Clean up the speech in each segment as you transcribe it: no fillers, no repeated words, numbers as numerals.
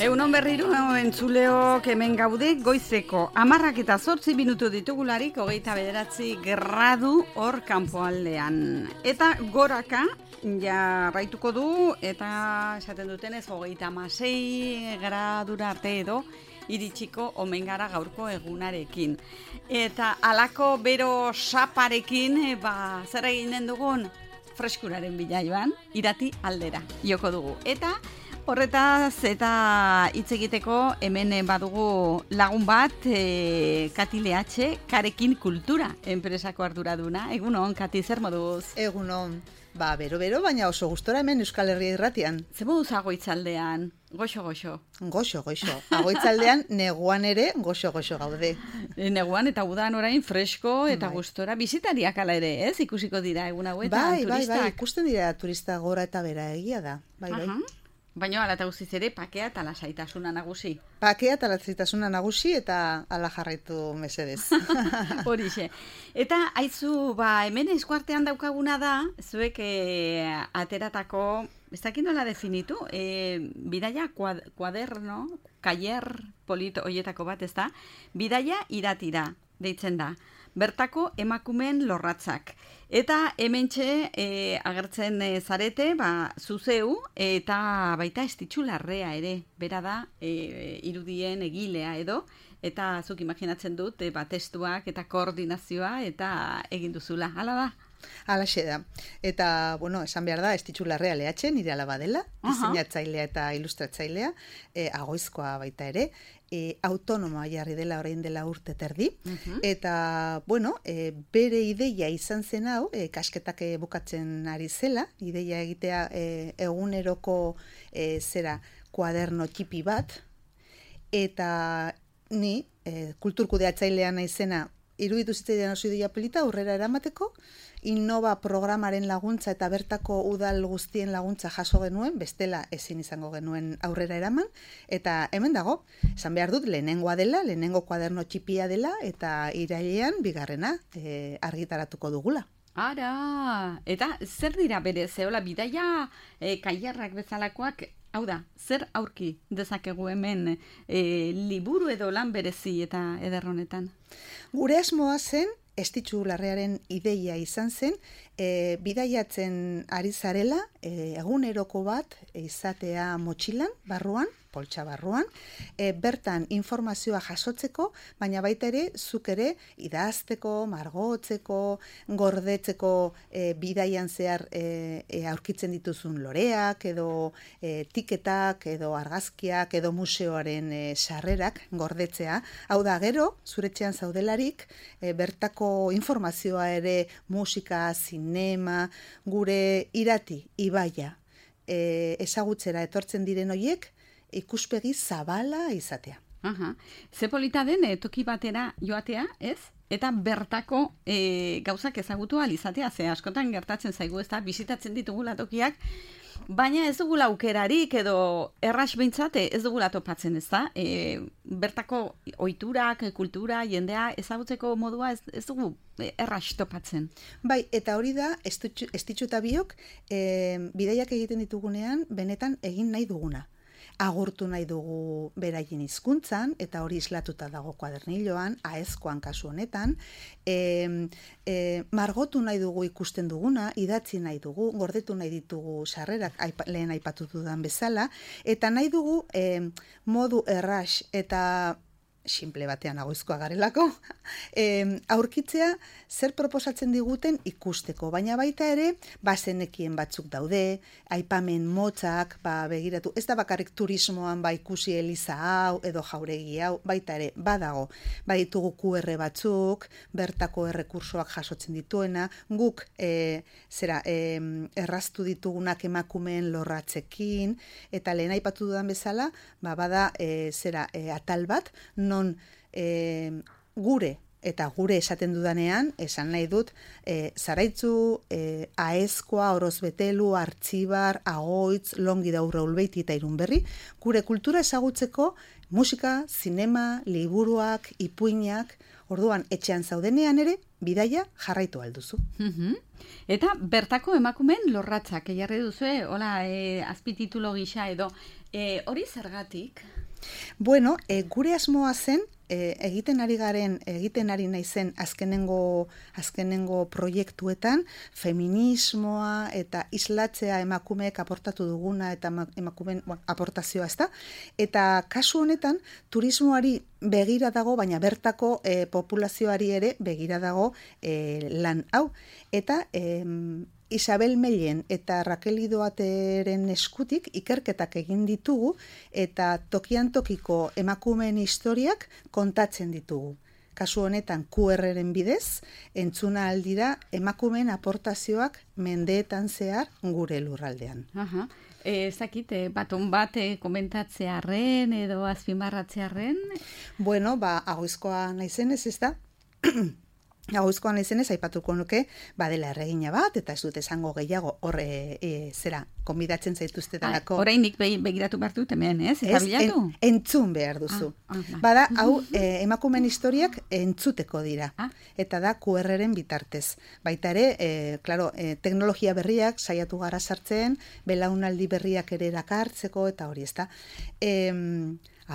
Egunon berriro entzuleok hemen gaude goizeko 10:08 minutu ditugularik 29 hor kanpoaldean. Eta goraka jarraituko du eta esaten dutenez 36 gradura arte edo iritsiko omen gara gaurko egunarekin. Eta halako bero saparekin zer eginen dugun freskuraren bila joan, irati aldera joko dugu. Eta horretaz eta hitz egiteko hemen badugu lagun bat, Kati Leatxe, Karekin Kultura enpresako arduraduna. Egunon, Kati, zer moduz? Egunon, bero, baina oso gustora hemen Euskal Herria irratian. Zer moduz Agoitzaldean? Goxo. Goxo. Agoitzaldean neguan ere goxo gaude. Neguan eta udan orain fresko eta gustora bisitariak ala ere, ez? Ikusiko dira egun hauetan turistak. Bai, ikusten dira turista gora eta bera, egia da. Bai. Baina ala eta guztiz ere pakea eta lasaitasuna nagusi. Pakea eta lasaitasuna nagusi eta ala jarraitu mesedez. Horixe. Eta aizu, hemen eskuartean daukaguna da, zuek ateratako, ez dakit nola definitu, bidaia kuaderno, kaier polito hoietako bat, ez da? Bidaia iratira, deitzen da. Bertako emakumeen lorratzak. Eta hementxe agertzen zarete, zuzeu, eta baita Estitxu Larrea ere, bera da irudien egilea edo, eta zuk imaginatzen dut, testuak eta koordinazioa eta egin duzula, hala da? Halaxe da. Eta, esan behar da, Estitxu Larrea Leatxe, nire alaba dela, diseinatzailea eta ilustratzailea, Agoizkoa baita ere, autonomoa jarri dela orain dela urte terdi, eta, bere ideia izan zen hau, kasketak bukatzen ari zela, ideia egitea eguneroko kuaderno txipi bat, eta ni, kulturkudeatzailea naizena, iruditu zitzaidan oso ideia polita aurrera eramateko, Innova programaren laguntza eta bertako udal guztien laguntza jaso genuen, bestela ezin izango genuen aurrera eraman, eta hemen dago, esan behar dut, lehenengo kuaderno txipia dela, eta irailean bigarrena argitaratuko dugula. Ara, eta zer dira bere, zeola bidaia kaiarrak bezalakoak, hau da, zer aurki dezakegu hemen liburu edo lan berezi eta ederronetan? Gure asmoa zen, Estitxu Larrearen ideia izan zen, bidaiatzen ari zarela, eguneroko bat izatea motxilan, barruan, poltsa barruan, bertan informazioa jasotzeko, baina baita ere, zuk ere, idazteko, margotzeko, gordetzeko bidaian zehar aurkitzen dituzun loreak, edo tiketak, edo argazkiak, edo museoaren sarrerak gordetzea. Hau da, gero, zuretxean zaudelarik, bertako informazioa ere, musika, zinema, gure irati, ibaia, ezagutzera etortzen diren hoiek, ikuspegi zabala izatea. Ze polita den toki batera joatea, ez? Eta bertako gauzak ezagutu ahal izatea, ze askotan gertatzen zaigu, ez da, bisitatzen ditugula tokiak, baina ez dugula aukerarik edo erras behintzate ez dugula topatzen, ez da? Bertako ohiturak, kultura, jendea ezagutzeko modua ez dugu erras topatzen. Bai, eta hori da, Estitxu eta biok, bidaiak egiten ditugunean, benetan egin nahi duguna. Agurtu nahi dugu beraien hizkuntzan, eta hori islatuta dago kuaderniloan, aezkoan kasu honetan, margotu nahi dugu ikusten duguna, idatzi nahi dugu, gordetu nahi ditugu sarrerak lehen aipatu dudan bezala, eta nahi dugu modu erras eta simple batean Agoizkoa garelako, aurkitzea zer proposatzen diguten ikusteko, baina baita ere, zenekien batzuk daude, aipamen motzak, begiratu, ez da bakarrik turismoan ikusi eliza hau, edo jauregi hau, baita ere, badago, baditugu QR batzuk, bertako errekursoak jasotzen dituena, guk erraztu ditugunak emakumeen lorratzekin, eta lehen aipatu dudan bezala, bada atal bat, non gure eta gure esaten dudanean, esan nahi dut, Zaraitzu, Aezkoa, Orozbetelu, Artxibar, Agoitz, Longi Daurre Ulbeiti eta Irunberri, gure kultura ezagutzeko musika, zinema, liburuak, ipuinak, orduan etxean zaudenean ere, bidaia jarraitu alduzu. Eta bertako emakumeen lorratzak jarri duzue, hola, azpititulo gisa edo, hori zergatik? Bueno, gure asmoa zen, egiten ari naizen azkenengo proiektuetan, feminismoa eta islatzea emakumeek aportatu duguna eta emakumeen aportazioa, ezta? Eta kasu honetan, turismoari begira dago, baina bertako populazioari ere begira dago lan hau. Eta Isabel Mellen eta Raquel Idoateren eskutik ikerketak egin ditugu eta tokian tokiko emakumeen historiak kontatzen ditugu. Kasu honetan QR-ren bidez, entzuna aldira emakumeen aportazioak mendeetan zehar gure lurraldean. Ezakit, baton bat komentatzearren edo azpimarratzearren? Bueno, agoizkoa naizenez, ez da? Agoizkoan izenez, aipatuko nuke, badela erregina bat, eta ez dut esango gehiago, konbidatzen zaituzte dalako. Orainik begiratu behar dut hemen, ez? Eta bilatu? Entzun behar duzu. Bada, hau, emakumeen historiak entzuteko dira. Eta da, QR-ren bitartez. Baita ere, teknologia berriak saiatu gara sartzen, belaunaldi berriak ere erakartzeko, eta hori, ez da.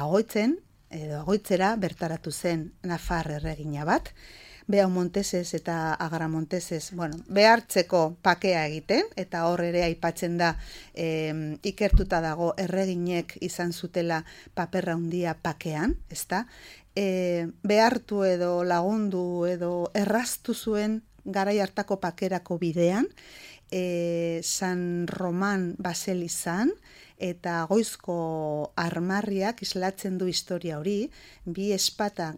Agoitzera bertaratu zen Nafar erregina bat, Beau Montesez eta Agra Montesez, behartzeko pakea egiten, eta hor ere aipatzen da ikertuta dago erreginek izan zutela paperra handia pakean, ezta? Behartu edo lagundu edo erraztu zuen garai hartako pakerako bidean, San Roman baselizan, eta Goizko armarriak islatzen du historia hori, bi espata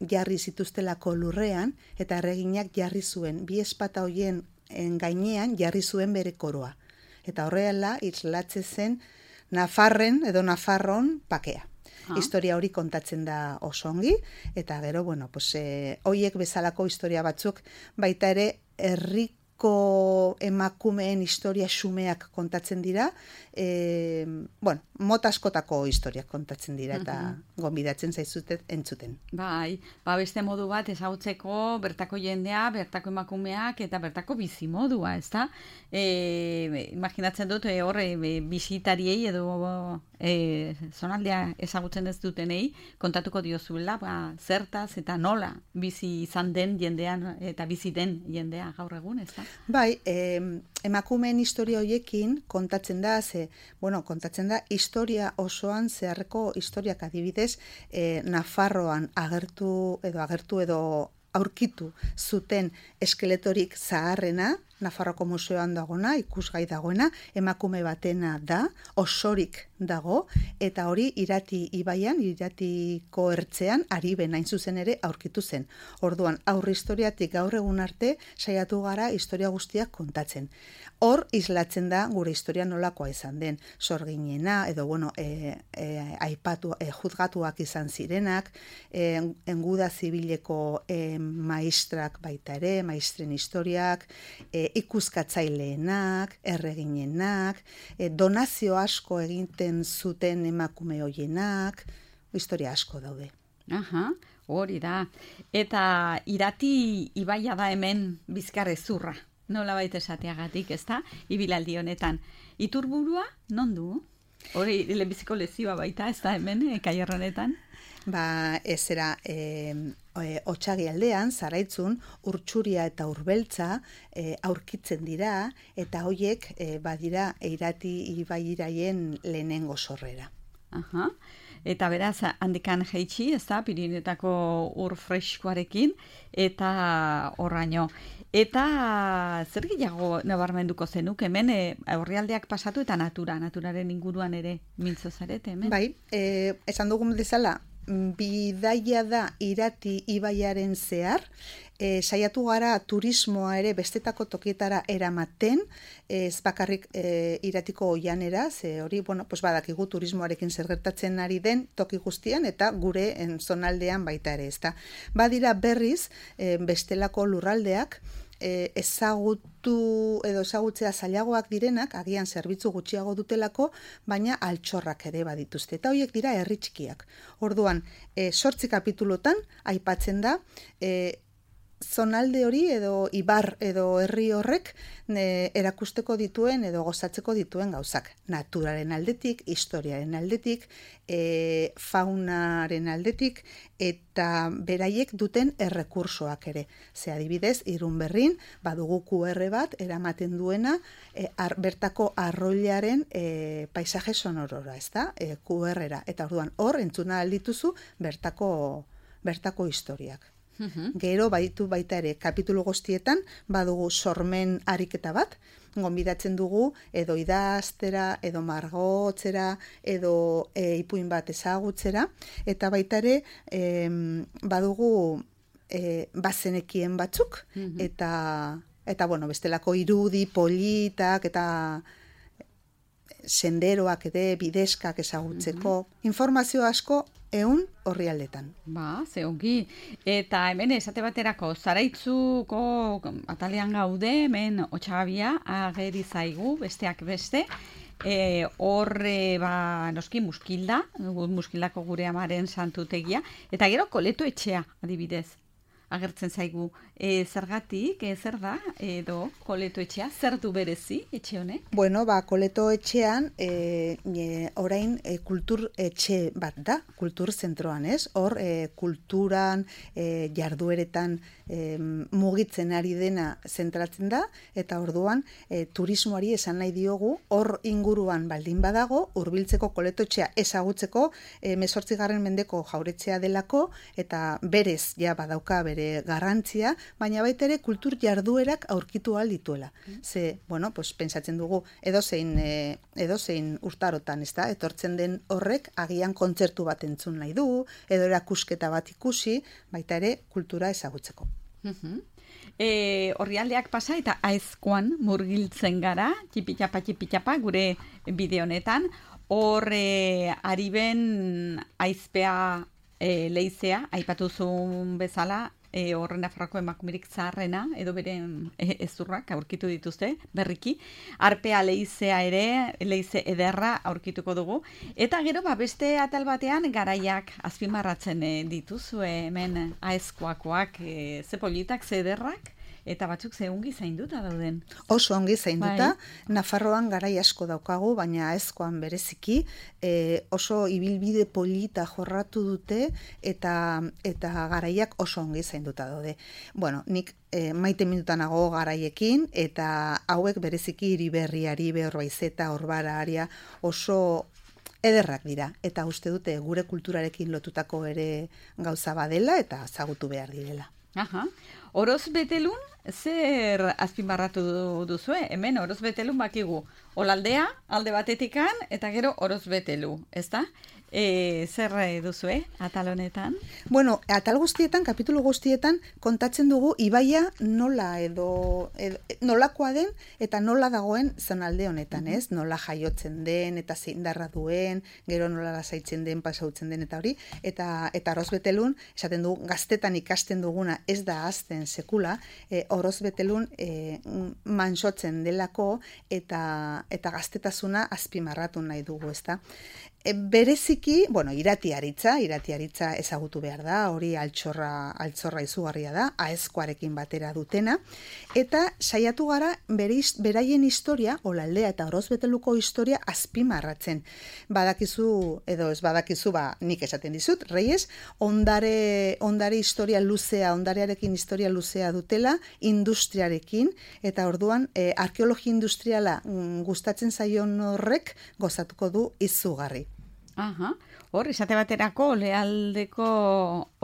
jarri zituztelako lurrean, eta erreginak jarri zuen, bi espata hoien gainean jarri zuen bere koroa. Eta horrela islatzen zen Nafarren edo Nafarron pakea. Historia hori kontatzen da oso ongi, eta gero, hoiek bezalako historia batzuk, baita ere emakumeen historia xumeak kontatzen dira, mota askotako historiak kontatzen dira, eta gonbidatzen zaizutet entzuten. Bai, beste modu bat ezagutzeko bertako jendea, bertako emakumeak eta bertako bizimodua, ezta? Imaginatzen dut horre bisitariei edo zonaldea ezagutzen ez dutenei kontatuko diozuela, zertaz eta nola bizi izan den jendean eta bizi den jendea gaur egun, ezta? Bai, emakumeen historia horiekin kontatzen da, kontatzen da historia osoan zeharreko historiak, adibidez, Nafarroan agertu edo aurkitu zuten eskeletorik zaharrena, Nafarroko museoan dagoena, ikusgai dagoena, emakume batena da, osorik dago, eta hori Irati ibaian, Iratiko ertzean, Ariben hain zuzen ere aurkitu zen. Orduan, aurre historiatik gaur egun arte, saiatu gara historia guztiak kontatzen. Hor, islatzen da gure historia nolakoa izan den, sorginena, edo, juzgatuak izan zirenak, enguda zibileko maistrak baita ere, maistren historiak, ikuskatzaileenak, erreginenak, donazio asko egiten zuten emakume hoienak, historia asko daude. Hori da. Eta Irati ibaia da hemen Bizkarrezurra, nola baita esateagatik, ezta? Ibilaldi honetan. Iturburua, non du? Hori lehenbiziko lezioa baita, ezta hemen, Kaierra honetan? Otsagi aldean, Zaraitzun, Urtsuria eta Urbeltza aurkitzen dira, eta hoiek badira Irati ibairaien lehenengo sorrera. Eta beraz, handikan jeitsi, ez da, Pirinetako ur freskoarekin, eta horraino. Eta zer gehiago nabarmenduko zenuk, hemen aurrialdeak pasatu eta naturaren inguruan ere mintzo zarete, hemen? Bai, esan dugun bezala, bidaia da Irati ibaiaren zehar, saiatu gara turismoa ere bestetako tokietara eramaten, ez bakarrik Iratiko oianera, ze hori, badakigu turismoarekin zer gertatzen ari den toki guztian, eta gure zonaldean baita ere, ezta. Badira berriz, bestelako lurraldeak, ezagutzea zailagoak direnak, agian zerbitzu gutxiago dutelako, baina altxorrak ere badituzte. Eta horiek dira herri txikiak. Orduan, 8 kapitulotan aipatzen da, zonalde hori edo ibar edo herri horrek erakusteko dituen edo gozatzeko dituen gauzak. Naturaren aldetik, historiaren aldetik, faunaren aldetik eta beraiek duten errekursoak ere. Ze adibidez, Irunberrin badugu QR bat eramaten duena bertako arroilaren paisaje sonorora, ezta? QR-era. Eta orduan hor entzuna aldituzu bertako historiak. Gero baditu baita ere kapitulu guztietan badugu sormen ariketa bat, gonbidatzen dugu edo idaztera, edo margotzera, edo ipuin bat ezagutzera, eta baita ere badugu bazenekien batzuk, eta bueno, bestelako irudi, politak, eta senderoak ere, bideskak ezagutzeko, informazio asko horri aldetan. Ze ongi. Eta hemen esate baterako Zaraitzuko atalean gaude, hemen Otsagabia ageri zaigu, besteak beste. Horre noski Muskildako gure amaren santutegia. Eta gero Koleto etxea, adibidez. Agertzen zaigu. Zergatik, zer da, edo Koleto etxea, zer du berezi etxe honek? Bueno, Koleto etxean, orain kultur etxe bat da, kultur zentroan, ez? Hor, kulturan, jardueretan mugitzen ari dena zentratzen da, eta orduan turismoari esan nahi diogu, hor inguruan baldin badago, hurbiltzeko Koleto etxea ezagutzeko 18. mendeko jauretzea delako, eta berez, badauka bere garrantzia, baina baita ere kultur jarduerak aurkitu ahal dituela. Ze, pentsatzen dugu edozein urtarotan, ezta? Etortzen den horrek agian kontzertu bat entzun nahi du, edo erakusketa bat ikusi, baita ere kultura ezagutzeko. Orrialdeak pasa eta Aezkoan murgiltzen gara, txipitxapa gure bideo honetan, hor Ariben aizpea leizea, aipatu zuen bezala, horren Nafarroako emakumerik zaharrena, edo beren ezurrak aurkitu dituzte, berriki. Arpea leizea ere, leize ederra aurkituko dugu. Eta gero, beste atal batean, garaiak azpimarratzen dituzue hemen Aezkoakoak, ze politak, ze ederrak, eta batzuk ze ongi zainduta dauden. Oso ongi zainduta, Nafarroan garai asko daukagu, baina Aezkoan bereziki, oso ibilbide polita jorratu dute, eta garaiak oso ongi zainduta daude. Bueno, nik maite minutanago garaiekin, eta hauek bereziki Iriberriari, Beorbaizeta, Orbararia, oso ederrak dira, eta uste dute gure kulturarekin lotutako ere gauza badela, eta zagutu behar direla. Oroz betelun, zer azpimarratu duzue? Hemen oroz betelun bakigu. Olaldea, alde batetikan, eta gero oroz betelu, ezta? Zer duzue atal honetan? Bueno, atal guztietan, kapitulu guztietan, kontatzen dugu ibaia nola nolakoa den eta nola dagoen zonalde honetan, ez? Nola jaiotzen den eta zeindarra duen, gero nola lasaitzen den, pasautzen den eta hori, eta oroz betelun, esaten dugu, gaztetan ikasten duguna ez da azten sekula, oroz betelun mansotzen delako eta gaztetasuna azpimarratu nahi dugu, ezta? Bereziki, iratiaritza ezagutu behar da, hori altxorra izugarria da, Aezkoarekin batera dutena, eta saiatu gara beraien historia, Olaldea eta Orozbeteluko historia azpimarratzen. Badakizu, edo ez badakizu, nik esaten dizut, Reyes, ondare historia luzea, ondarearekin historia luzea dutela, industriarekin, eta orduan, arkeologia industriala gustatzen zaion horrek gozatuko du izugarri. Hor, esate baterako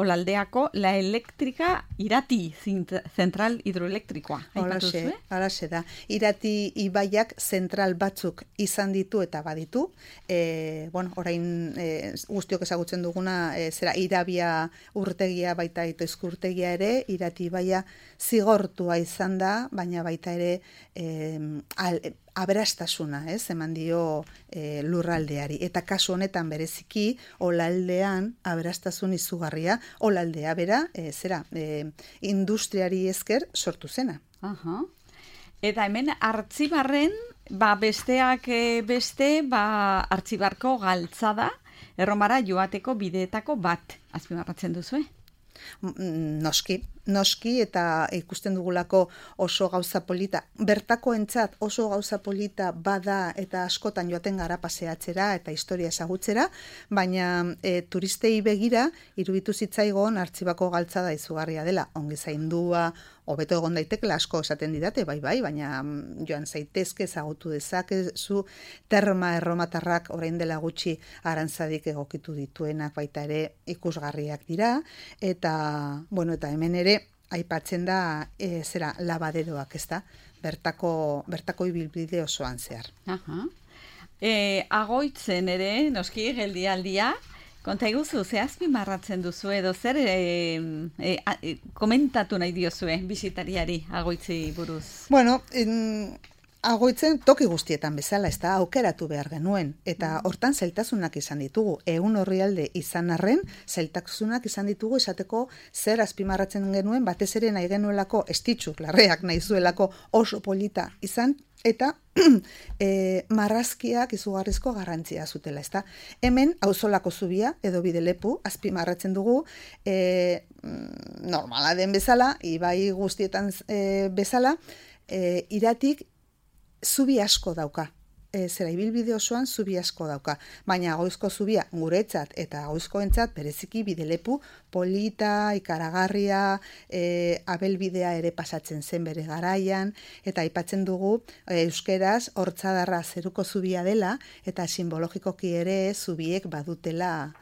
Olaldeako la elektrika Irati zentral hidroelektrikoa. Halaxe da. Irati ibaiak zentral batzuk izan ditu eta baditu. Orain guztiok ezagutzen duguna zera Irabia urtegia baita Itoizko urtegia ere, Irati ibaia zigortua izan da, baina baita ere aberastasuna, eman dio lurraldeari. Eta kasu honetan bereziki, Olaldean aberastasun izugarria, Olaldea bera, industriari esker sortu zena. Eta hemen Artzibarren, besteak beste, Artzibarko galtzada, Erromara joateko bideetako bat azpimarratzen duzue? Noski eta ikusten dugulako oso gauza polita, bertakoentzat oso gauza polita bada eta askotan joaten gara paseatzera eta historia ezagutzera, baina turistei begira iruditu zitzaigon Artxibako galtzada izugarria dela, ongi zaindua, hobeto egon daitekela asko esaten didate, bai, baina joan zaitezke ezagutu dezakezu terma erromatarrak orain dela gutxi Arantzadik egokitu dituenak baita ere ikusgarriak dira, eta hemen ere aipatzen da labaderoak, ezta? Bertako ibilbide osoan zehar. Agoitzen ere, noski, geldialdia, konta iguzu, ze azpimarratzen duzu edo zer komentatu nahi diozue bisitariari Agoitzi buruz? Bueno, Agoitzen toki guztietan bezala, ez da, aukeratu behar genuen, eta hortan zailtasunak izan ditugu. Ehun orrialde izan arren, zailtasunak izan ditugu esateko zer azpimarratzen genuen, batez ere nahi genuelako estitxu, larreak nahi zuelako oso polita izan, eta marrazkiak izugarrizko garrantzia zutela, ezta? Hemen auzolako zubia edo bidelepu azpimarratzen dugu, normala den bezala, ibai guztietan bezala, iratik zubi asko dauka. Ibilbide osoan zubi asko dauka. Baina Agoizko zubia guretzat eta Agoizkoentzat bereziki bidelepu polita, ikaragarria, abelbidea ere pasatzen zen bere garaian, eta aipatzen dugu euskeraz hortzadarra zeruko zubia dela, eta simbologikoki ere zubiek badutela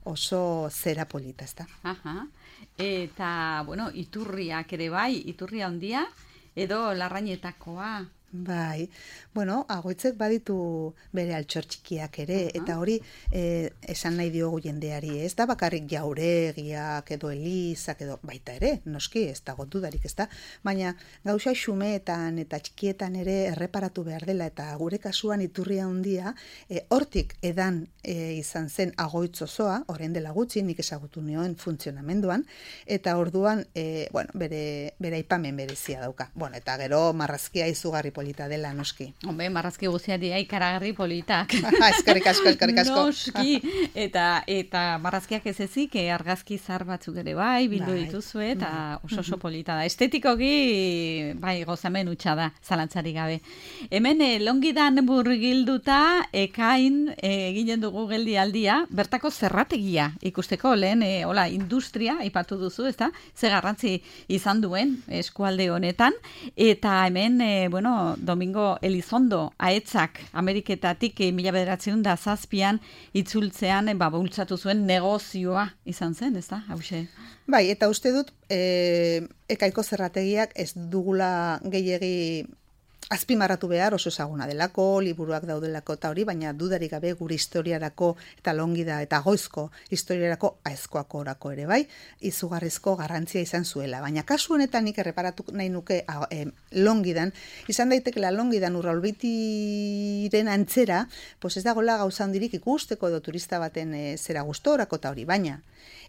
oso zera polita, ezta? Eta, iturriak ere bai, iturria handia, edo Larrañetakoa. Bai, Agoitzek baditu bere altxor txikiak ere, eta hori esan nahi diogu jendeari, ez da bakarrik jauregiak edo elizak edo baita ere, noski, ez da dudarik, ez da, baina gauza xumeetan eta txikietan ere erreparatu behar dela, eta gure kasuan iturria handia, hortik edan izan zen Agoitz osoa, orain dela gutxi, nik ezagutu nioen funtzionamenduan, eta orduan, bere aipamen berezia dauka. Eta gero marrazkia izugarri polita dela, noski. Marrazki guztiari ikaragarri politak. Eskerrik asko. Noski, eta marrazkiak ez ezik, argazki zar batzuk ere bai, bildu dituzue, eta oso polita da. Estetikoki, gozamen hutsa da, zalantzari gabe. Hemen, Longidan burgilduta, ekain eginen dugu geldialdia, bertako zerrategia ikusteko, lehen, industria, aipatu duzu, ez da, ze garrantzi izan duen eskualde honetan, eta hemen, Domingo Elizondo aetzak Ameriketatik 1907an itzultzean bultzatu zuen negozioa izan zen, ez da, hause? Bai, eta uste dut ekaiko zerrategiak ez dugula gehiegi azpimarratu behar, oso ezaguna delako, liburuak daudelako eta hori, baina dudarik gabe gure historiarako eta Longida eta Agoizko historiarako aezkoako orako ere bai, izugarrizko garrantzia izan zuela. Baina kasu honetan nik erreparatu nahi nuke Longidan, izan daitekela Longidan Urraulbeitiren antzera, ez dagoela gauza handirik ikusteko edo turista baten zera gustorako eta hori, baina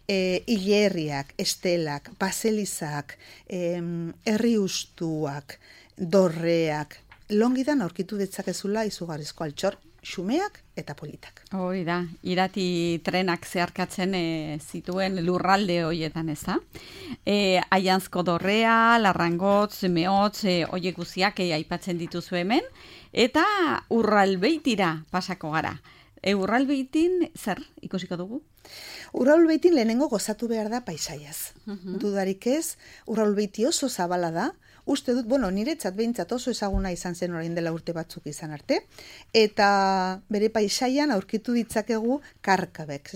hilerriak, estelak, baselizak, herriustuak, dorreak, Longidan aurkitu ditzakezula izugarrizko altxor xumeak eta politak. Hoi da, irati trenak zeharkatzen zituen lurralde hoietan, ez da? Aianzko dorrea, Larrangotz, Meotz, hoiek guziak aipatzen dituzu hemen, eta Urralbeitira pasako gara. Urralbeitin zer ikusiko dugu? Urralbeitin lehenengo gozatu behar da paisaiaz. Dudarik ez, Urralbeiti oso zabala da, uste dut, niretzat behintzat oso ezaguna izan zen orain dela urte batzuk izan arte, eta bere paisaian aurkitu ditzakegu karkabek,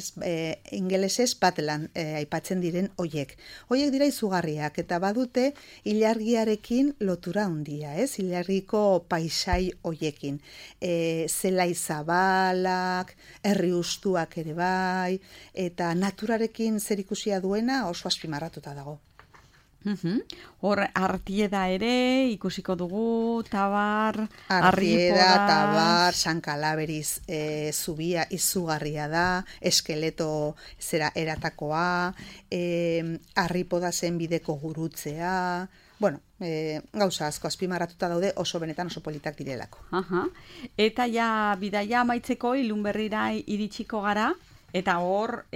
ingelesez Badland aipatzen diren hoiek. Hoiek dira izugarriak, eta badute ilargiarekin lotura handia, ilargiko paisai hoiekin. Zelai zabalak, herri ustuak ere bai, eta naturarekin zer ikusia duena oso azpimarratuta dago. Hor, Artieda ere ikusiko dugu, Tabar, Artieda, Tabar, San Kalaberiz zubia izugarria da, Eskeleto zera eratakoa, Arripoda zen bideko gurutzea, gauza asko azpimarratuta daude oso benetan oso politak direlako. Eta ja bidaia amaitzeko Ilunberrira iritsiko gara, Eta hor,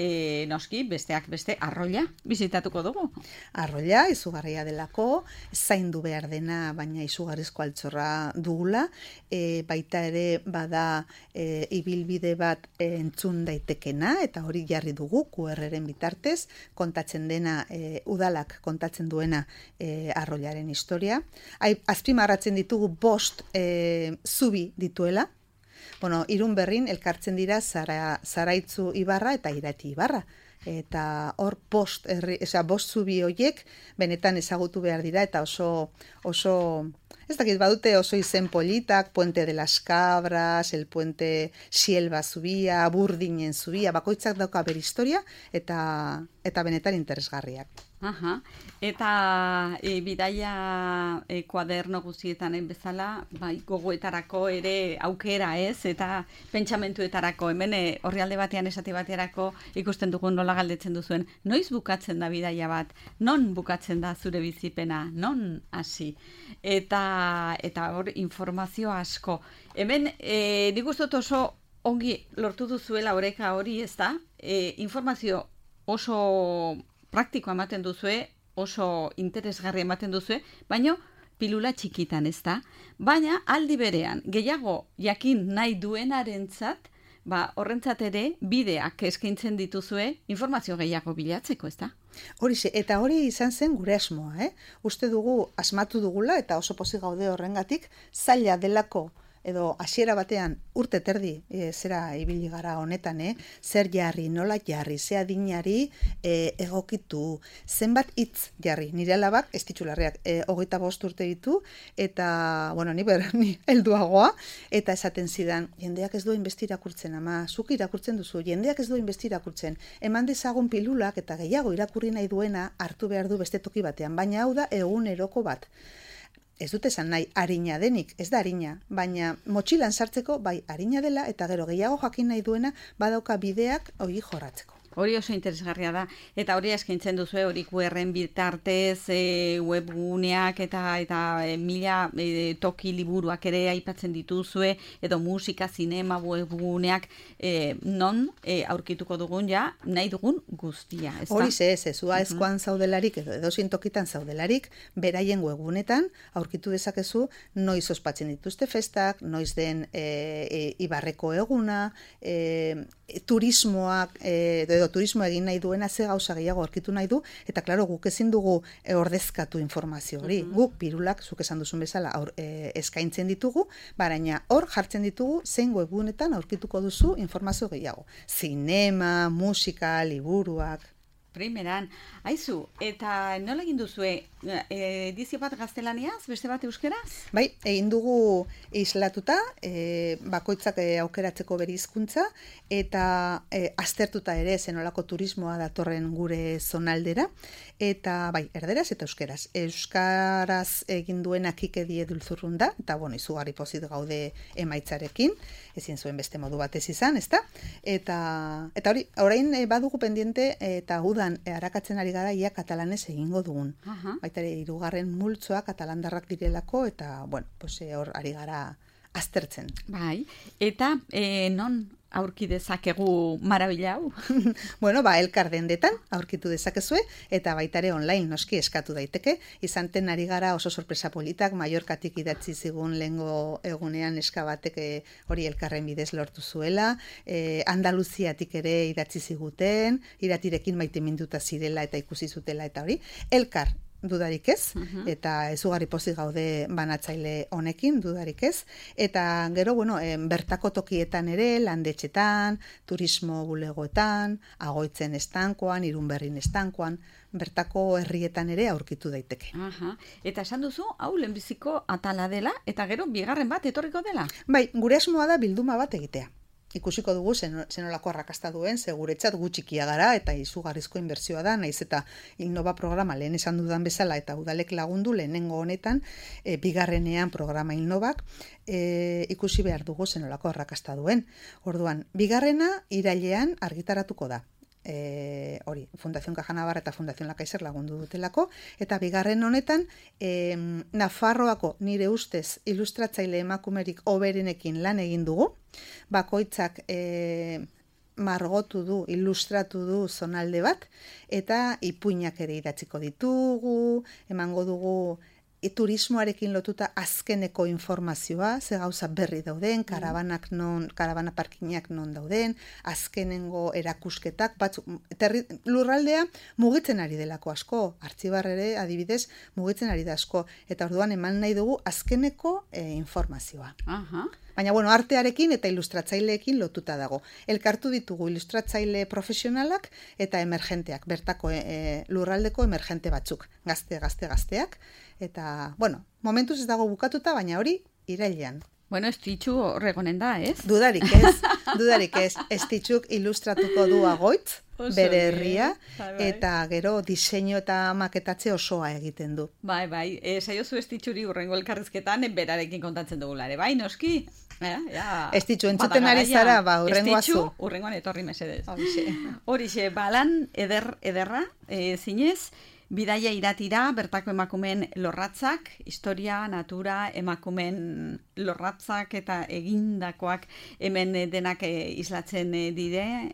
noski, besteak beste, arroila bizitatuko dugu. Arroila, izugarria delako, zaindu behar dena, baina izugarrizko altxorra dugula, baita ere bada ibilbide bat entzun daitekena, eta hori jarri dugu QR-ren bitartez, kontatzen dena, udalak kontatzen duena arroilaren historia. Azpimarratzen ditugu 5 zubi dituela. Bueno, Irunberrin elkartzen dira Zaraitzu ibarra eta Irati ibarra. Eta hor 5 zubi horiek benetan ezagutu behar dira eta oso ez dakit badute oso izen politak, Puente de las Cabras, el Puente Sielba zubia, Burdinen zubia, bakoitzak dauka bere historia eta benetan interesgarriak. Aha. Eta bidaia kuaderno guztietan bezala, bai, gogoetarako ere aukera ez, eta pentsamentuetarako, hemen orrialde batean esate baterako ikusten dugun nola galdetzen duzuen, noiz bukatzen da bidaia bat, non bukatzen da zure bizipena, non hasi, eta hor informazio asko. Hemen, nik uste dut oso ongi lortu duzuela oreka hori, ez da, informazio oso praktikoa ematen duzue, oso interesgarri ematen duzue, baina pilula txikitan, ez da? Baina aldi berean, gehiago jakin nahi duenarentzat, horrentzat ere bideak eskaintzen dituzue informazio gehiago bilatzeko, ez da? Horixe, eta hori izan zen gure asmoa, Uste dugu, asmatu dugula, eta oso pozik gaude horrengatik, zaila delako, edo hasiera batean urte terdi zera ibili gara honetan, zer jarri, nola jarri, ze adinari egokitu, zenbat hitz jarri. Nire alabak, ez titularreak, 25 urte ditu, eta, bueno, ni helduagoa, eta esaten zidan, jendeak ez du inbesti irakurtzen, ama, zuk irakurtzen duzu, jendeak ez du inbesti irakurtzen, eman dezagun pilulak eta gehiago irakurri nahi duena hartu behar du beste toki batean, baina hau da eguneroko bat. Ez dut esan nahi arina denik, ez da arina, baina motxilan sartzeko bai arina dela eta gero gehiago jakin nahi duena badauka bideak hori jorratzeko. Hori oso interesgarria da, eta hori eskaintzen duzu, hori QR-en bitartez, webguneak eta mila toki liburuak ere aipatzen dituzue, edo musika, zinema, webguneak, non aurkituko dugun ja, nahi dugun guztia. Hori ez, Aezkoan zaudelarik, edo edozein tokitan zaudelarik, beraien webgunetan aurkitu dezakezu, noiz ospatzen dituzte festak, noiz den Ibarreko eguna, turismoak, edo turismo egin nahi duena ze gauza gehiago aurkitu nahi du, eta klaro guk ezin dugu ordezkatu informazio hori. Guk pirulak, zuk esan duzun bezala, eskaintzen ditugu, baina hor jartzen ditugu zein webgunetan aurkituko duzu informazio gehiago. Zinema, musika, liburuak. Primeran, aizu, eta nola egin duzue, edizio bat gaztelaniaz, beste bat euskeraz? Bai, egin dugu islatuta, bakoitzak aukeratzeko bere hizkuntza, eta aztertuta ere zenolako turismoa datorren gure zonaldera, eta bai, erderaz eta euskeraz. Euskaraz egin duena Kike Diedulzurrun da, eta bueno, izugarri pozit gaude emaitzarekin, ezin zuen beste modu batez izan, ezta? Eta hori, orain badugu pendiente, eta udan arakatzen ari gara ia katalanez egingo dugun. Baita ere, 3. multzoa katalandarrak direlako, eta, bueno, hor ari gara aztertzen. Bai, eta non aurki dezakegu marabila hau? Bueno, elkar dendetan aurkitu dezakezue, eta baita ere online noski eskatu daiteke. Izanten ari gara oso sorpresa politak, Mallorcatik idatzi zigun lehengo egunean neska batek hori elkarren bidez lortu zuela, Andaluziatik ere idatzi ziguten, Iratirekin maiteminduta zirela eta ikusi zutela eta hori, elkar dudarik ez, eta ezugarri pozik gaude banatzaile honekin, dudarik ez, eta gero, bueno, bertako tokietan ere, landetxetan, turismo bulegoetan, Agoitzen estankoan, Irunberrin estankoan, bertako herrietan ere aurkitu daiteke. Eta esan duzu, hau lehenbiziko atala dela, eta gero bigarren bat etorriko dela? Bai, gure asmoa da bilduma bat egitea. Ikusiko dugu zenolako arrakasta duen, seguretzat gutxikia gara eta izugarrizko inbertsioa da, naiz eta Innova programa lehen esan dudan bezala eta udalek lagundu lehenengo honetan, bigarrenean programa Innovak, ikusi behar dugu zenolako arrakasta duen. Orduan, bigarrena irailean argitaratuko da. Hori, Fundación Caja Navarra eta Fundación La Caixa lagundu dutelako, eta bigarren honetan Nafarroako nire ustez ilustratzaile emakumerik hoberenekin lan egin dugu, bakoitzak margotu du, ilustratu du zonalde bat, eta ipuinak ere idatziko ditugu, emango dugu turismoarekin lotuta azkeneko informazioa, ze gauza berri dauden, karabana parkinak non dauden, azkenengo erakusketak, lurraldea mugitzen ari delako asko, Artxibar ere adibidez mugitzen ari da asko, eta orduan eman nahi dugu azkeneko informazioa. Baina, artearekin eta ilustratzaileekin lotuta dago. Elkartu ditugu ilustratzaile profesionalak eta emergenteak, bertako lurraldeko emergente batzuk, gazteak, eta, momentuz ez dago bukatuta, baina hori irailean. Estitxu horregonen da, ez? Dudarik ez. Estitxuk ilustratuko du Agoitz, bere herria, eta gero diseinu eta maketatze osoa egiten du. Bai, saiozu Estitxuri urrengo elkarrizketan berarekin kontatzen dugulare, bai, noski? Estitxu entzuten ari zara, urrengoa zu. Estitxu, urrengoan etorri mesedez. Horixe, balan ederra, zinez, bidaia iratira, bertako emakumeen lorratzak, historia, natura, emakumeen lorratzak eta egindakoak hemen denak islatzen dire,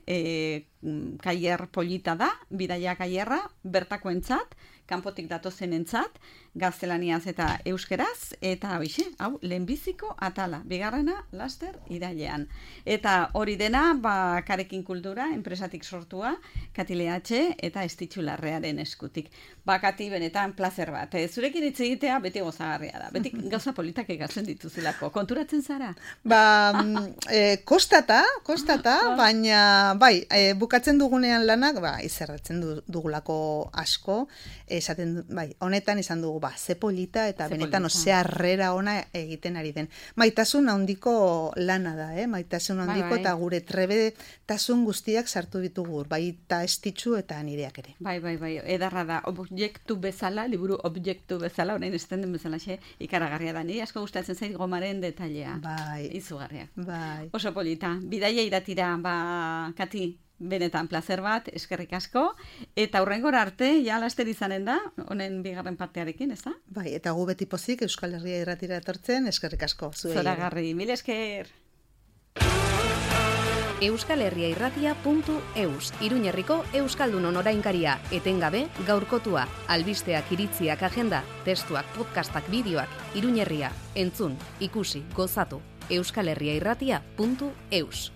kaier polita da, bidaia kaierra, bertakoentzat, kanpotik datozenentzat, gaztelaniaz eta euskeraz, eta hau, lehenbiziko atala, bigarrena, laster, irailean. Eta hori dena, Karekin Kultura, enpresatik sortua, Kati Leatxe eta Estitxu Larrearen eskutik. Kati, benetan, plazer bat. Zurekin hitz egitea beti gozagarria da. Beti gauza politak egatzen dituzulako. Konturatzen zara? Kostata, baina, bukatzen dugunean lanak, izerratzen dugulako asko, honetan izan dugu, ze polita eta benetan ze harrera ona egiten ari den. Maitasun handiko lana da, maitasun handiko eta gure trebetasun guztiak sartu ditugu, baita Estitxu eta nireak ere. Bai, edarra da, objektu bezala, liburu objektu bezala, orain esaten den bezala ikaragarria da, nire asko gustatzen zait gomaren detailea. Izugarria. Oso polita, bidaia iratira, Kati, benetan plazer bat, eskerrik asko, eta hurrengora arte, laster izanen da, honen bigarren partearekin, ez da? Eta gu beti pozik Euskal Herria Irratira etortzen, eskerrik asko. Zoragarri, mil esker! euskalherriairratia.eus, Iruñerriko Euskaldunon orainkaria, etengabe, gaurkotua, albisteak, iritziak, agenda, testuak, podcastak, bideoak, Iruñerria, entzun, ikusi, gozatu, euskalherriairratia.eus.